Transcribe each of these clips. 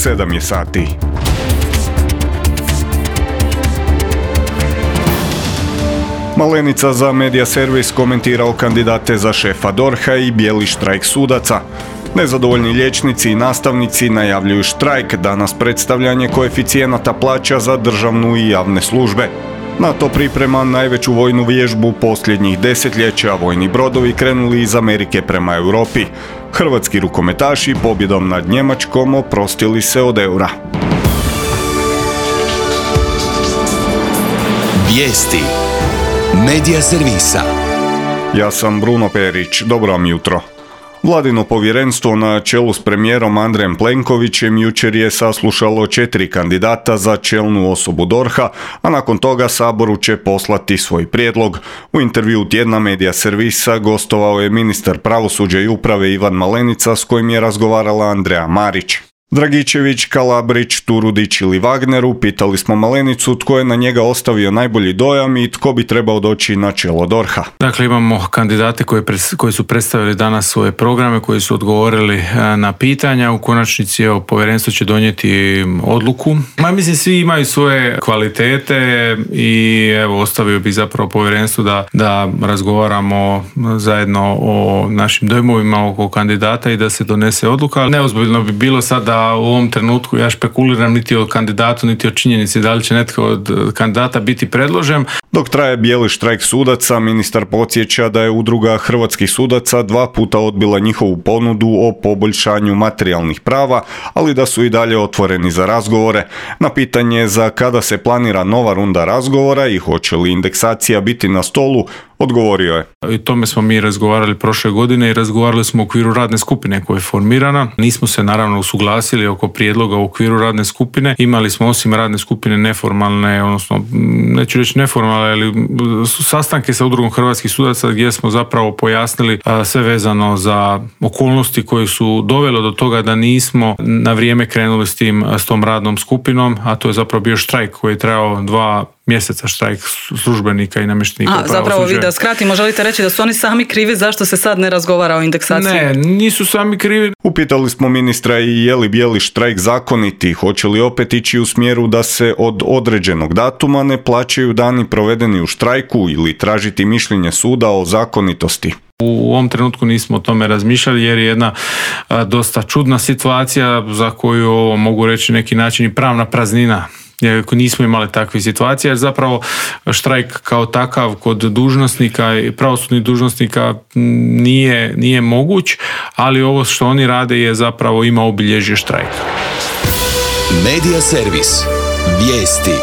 7 je sati. Malenica za Media Servis komentirao kandidate za šefa DORH-a i bijeli štrajk sudaca. Nezadovoljni liječnici i nastavnici najavljuju štrajk, danas predstavljanje koeficijenata plaća za državnu i javne službe. NATO priprema najveću vojnu vježbu posljednjih desetljeća, vojni brodovi krenuli iz Amerike prema Europi. Hrvatski rukometaši pobjedom nad Njemačkom oprostili se od eura. Vijesti Media Servisa. Ja sam Bruno Perić, dobro vam jutro. Vladino povjerenstvo na čelu s premijerom Andrejem Plenkovićem jučer je saslušalo 4 kandidata za čelnu osobu DORH-a, a nakon toga Saboru će poslati svoj prijedlog. U intervjuu tjedna Media Servisa gostovao je ministar pravosuđa i uprave Ivan Malenica s kojim je razgovarala Andreja Marić. Dragičević, Kalabrić, Turudić ili Wagneru, pitali smo Malenicu tko je na njega ostavio najbolji dojam i tko bi trebao doći na čelo DORH-a. Dakle, imamo kandidate koji su predstavili danas svoje programe, koji su odgovorili na pitanja. U konačnici povjerenstvo će donijeti odluku. Mislim, svi imaju svoje kvalitete i ostavio bih zapravo povjerenstvu da razgovaramo zajedno o našim dojmovima oko kandidata i da se donese odluka. Neozbiljno bi bilo sad da u ovom trenutku ja špekuliram niti o kandidatu, niti o činjenici da li će netko od kandidata biti predložen. Dok traje bijeli štrajk sudaca, ministar podsjeća da je udruga hrvatskih sudaca 2 puta odbila njihovu ponudu o poboljšanju materijalnih prava, ali da su i dalje otvoreni za razgovore. Na pitanje za kada se planira nova runda razgovora i hoće li indeksacija biti na stolu, odgovorio je. I tome smo mi razgovarali prošle godine i razgovarali smo u okviru radne skupine koja je formirana. Nismo se naravno usuglasili oko prijedloga u okviru radne skupine. Imali smo osim radne skupine neformalne, odnosno neću reći neformalne, ali sastanke sa udrugom hrvatskih sudaca gdje smo zapravo pojasnili sve vezano za okolnosti koje su dovelo do toga da nismo na vrijeme krenuli s tom radnom skupinom, a to je zapravo bio štrajk koji je trajao 2 mjeseca, štrajk službenika i namještenika pravosuđa. Zapravo vi da skratimo, želite reći da su oni sami krivi zašto se sad ne razgovara o indeksaciji? Ne, nisu sami krivi. Upitali smo ministra i je li bijeli štrajk zakoniti, hoće li opet ići u smjeru da se od određenog datuma ne plaćaju dani provedeni u štrajku ili tražiti mišljenje suda o zakonitosti. U ovom trenutku nismo o tome razmišljali jer je jedna dosta čudna situacija za koju mogu reći neki način i pravna praznina. Nismo imali takve situacije jer zapravo štrajk kao takav kod dužnosnika i pravosudnih dužnosnika nije moguć, ali ovo što oni rade je zapravo ima obilježje štrajka. Media Servis. Vijesti.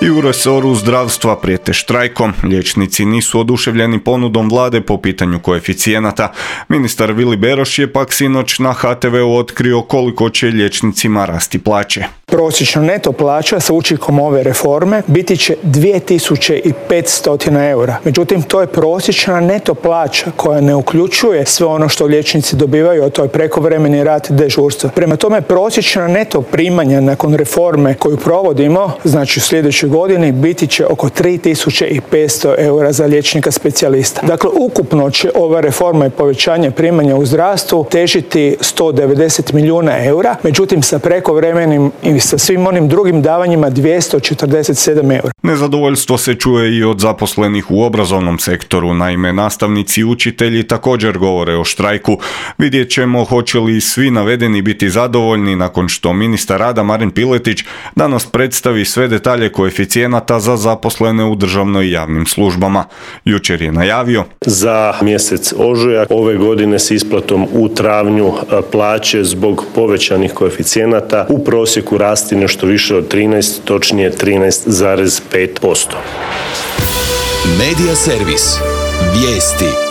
I u resoru zdravstva prijete štrajkom. Liječnici nisu oduševljeni ponudom vlade po pitanju koeficijenata. Ministar Vili Beroš je pak sinoć na HTV-u otkrio koliko će liječnicima rasti plaće. Prosječna neto plaća sa učinkom ove reforme biti će 2500 eura. Međutim, to je prosječna neto plaća koja ne uključuje sve ono što liječnici dobivaju, a to je prekovremeni rad i dežurstvo. Prema tome, prosječna neto primanja nakon reforme koju provodimo, znači u sljedećoj godini, biti će oko 3500 eura za liječnika specijalista. Dakle, ukupno će ova reforma i povećanje primanja u zdravstvu težiti 190 milijuna eura, međutim sa prekovremenim i sa svim onim drugim davanjima 247 eura. Nezadovoljstvo se čuje i od zaposlenih u obrazovnom sektoru. Naime, nastavnici i učitelji također govore o štrajku. Vidjet ćemo hoće li svi navedeni biti zadovoljni nakon što ministar rada Marin Piletić danas predstavi sve detalje koeficijenata za zaposlene u državnoj i javnim službama. Jučer je najavio: za mjesec ožujak ove godine s isplatom u travnju plaće zbog povećanih koeficijenata u prosjeku rasti nešto više od 13, točnije 13,5%. Media Servis. Vijesti.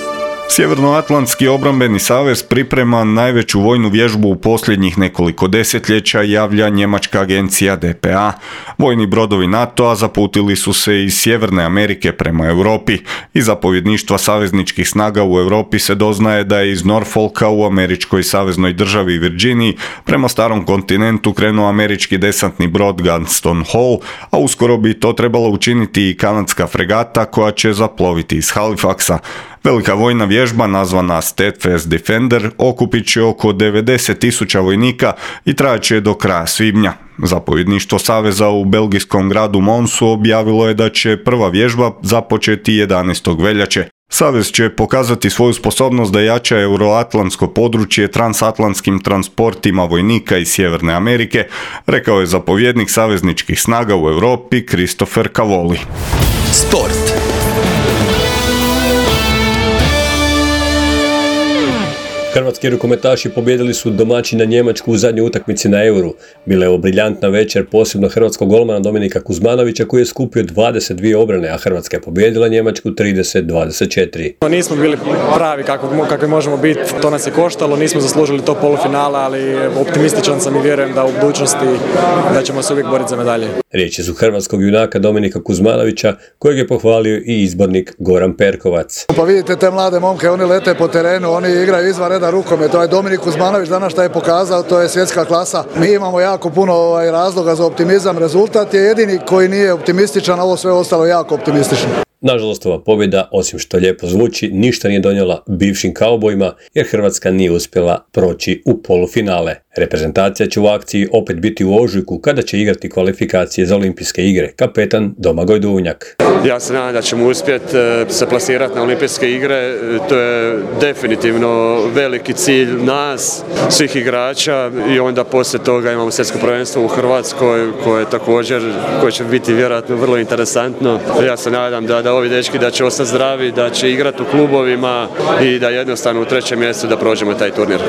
Sjevernoatlantski obrambeni savez priprema najveću vojnu vježbu u posljednjih nekoliko desetljeća, javlja njemačka agencija DPA. Vojni brodovi NATO-a zaputili su se iz Sjeverne Amerike prema Europi. Iz zapovjedništva savezničkih snaga u Europi se doznaje da je iz Norfolka u američkoj saveznoj državi Virginiji prema starom kontinentu krenuo američki desantni brod Gunston Hall, a uskoro bi to trebalo učiniti i kanadska fregata koja će zaploviti iz Halifaxa. Velika vojna vježba nazvana Steadfast Defender okupit će oko 90.000 vojnika i trajaće do kraja svibnja. Zapovjedništvo saveza u belgijskom gradu Monsu objavilo je da će prva vježba započeti 11. veljače. Savez će pokazati svoju sposobnost da jača euroatlantsko područje transatlantskim transportima vojnika iz Sjeverne Amerike, rekao je zapovjednik savezničkih snaga u Europi Christopher Cavoli. Sport. Hrvatski rukometaši pobijedili su domaćina Njemačku u zadnjoj utakmici na Euru. Bila je ovo briljantna večer, posebno hrvatskog golmana Dominika Kuzmanovića koji je skupio 22 obrane, a Hrvatska je pobijedila Njemačku 30-24. Nismo bili pravi kakvi možemo biti, to nas je koštalo, nismo zaslužili to polufinala, ali optimističan sam i vjerujem da u budućnosti da ćemo se uvijek boriti za medalje. Riječi su hrvatskog junaka Dominika Kuzmanovića, kojeg je pohvalio i izbornik Goran Perkovac. Pa vidite te mlade momke, oni lete po terenu, oni igraju izvan reda rukomet. To je Dominik Kuzmanović danas što je pokazao, to je svjetska klasa. Mi imamo jako puno razloga za optimizam, rezultat je jedini koji nije optimističan, a ovo sve ostalo jako optimistično. Nažalost, ova pobjeda, osim što lijepo zvuči, ništa nije donijela bivšim kaubojima jer Hrvatska nije uspjela proći u polufinale. Reprezentacija će u akciji opet biti u ožujku kada će igrati kvalifikacije za olimpijske igre. Kapetan Domagoj Duvnjak. Ja se nadam da ćemo uspjeti se plasirati na olimpijske igre. To je definitivno veliki cilj nas, svih igrača, i onda poslije toga imamo svjetsko prvenstvo u Hrvatskoj koje će biti vjerojatno vrlo interesantno. Ja se nadam da ovi dečki da će ostati zdravi, da će igrati u klubovima i da jednostavno u 3. mjestu da prođemo taj turnir.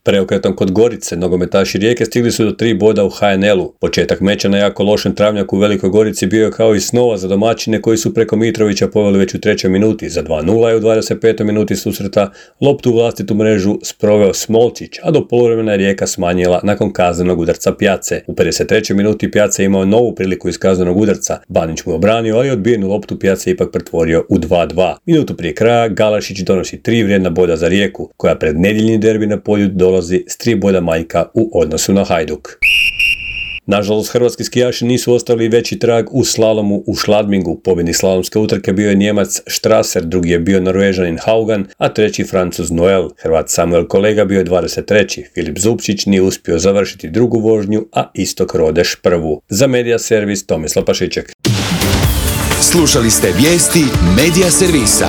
Preokretom kod Gorice, nogometaši Rijeke stigli su do 3 boda u HNL-u. Početak meča na jako lošem travnjaku u Velikoj Gorici bio je kao i snova za domaćine koji su preko Mitrovića poveli već u 3. minuti. Za 2:0 i u 25. minuti susreta loptu u vlastitu mrežu sproveo Smolčić, a do poluvremena je Rijeka smanjila nakon kaznenog udarca Pjace. U 53. minuti Pjace imao novu priliku iz kaznenog udarca. Banić mu je obranio, ali odbijenu loptu Pjace ipak pretvorio u 2:2. Minutu prije kraja Galašić donosi 3 vrijedna boda za Rijeku, koja pred nedjeljni derbi na Polju dolazi s 3 boda manjka u odnosu na Hajduk. Nažalost, hrvatski skijaši nisu ostali veći trag u slalomu u Schladmingu. Pobjednik slalomske utrke bio je Njemac Strasser, drugi je bio Norvežanin Haugan, a treći Francuz Noel. Hrvat Samuel Kolega bio je 23. Filip Zupčić nije uspio završiti drugu vožnju, a Istok Rodeš prvu. Za Media Servis Tomislav Pašiček. Slušali ste vijesti Media Servisa.